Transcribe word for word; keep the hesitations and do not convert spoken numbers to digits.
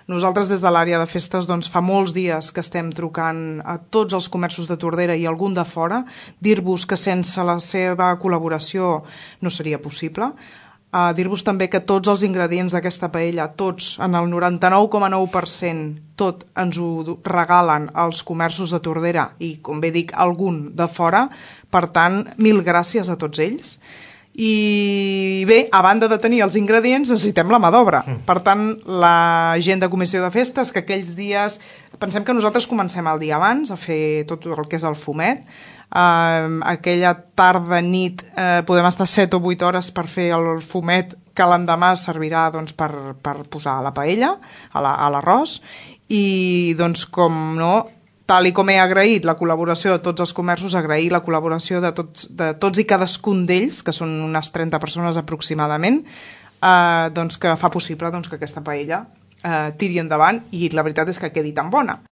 Nosaltres des de l'àrea de festes doncs, fa molts dies que estem trucant a tots els comerços de Tordera i algun de fora, dir-vos que sense la seva col·laboració no seria possible. Uh, dir-vos també que tots els ingredients d'aquesta paella, tots, en el noranta-nou coma nou per cent, tot ens ho regalen els comerços de Tordera i, com bé dic, algun de fora. Per tant, mil gràcies a tots ells. I bé, a banda de tenir els ingredients, necessitem la mà d'obra. Per tant, la gent de comissió de festes, que aquells dies... Pensem que nosaltres comencem el dia abans a fer tot el que és el fumet. Uh, aquella tarda, nit, uh, podem estar set o vuit hores per fer el fumet que l'endemà servirà doncs, per, per posar a la paella, a l'arròs. I, doncs, com no... Tal i com he agraït la col·laboració de tots els comerços, agrair la col·laboració de tots, de tots i cadascun d'ells, que són unes trenta persones aproximadament, eh, doncs que fa possible doncs, que aquesta paella eh, tiri endavant i la veritat és que quedi tan bona.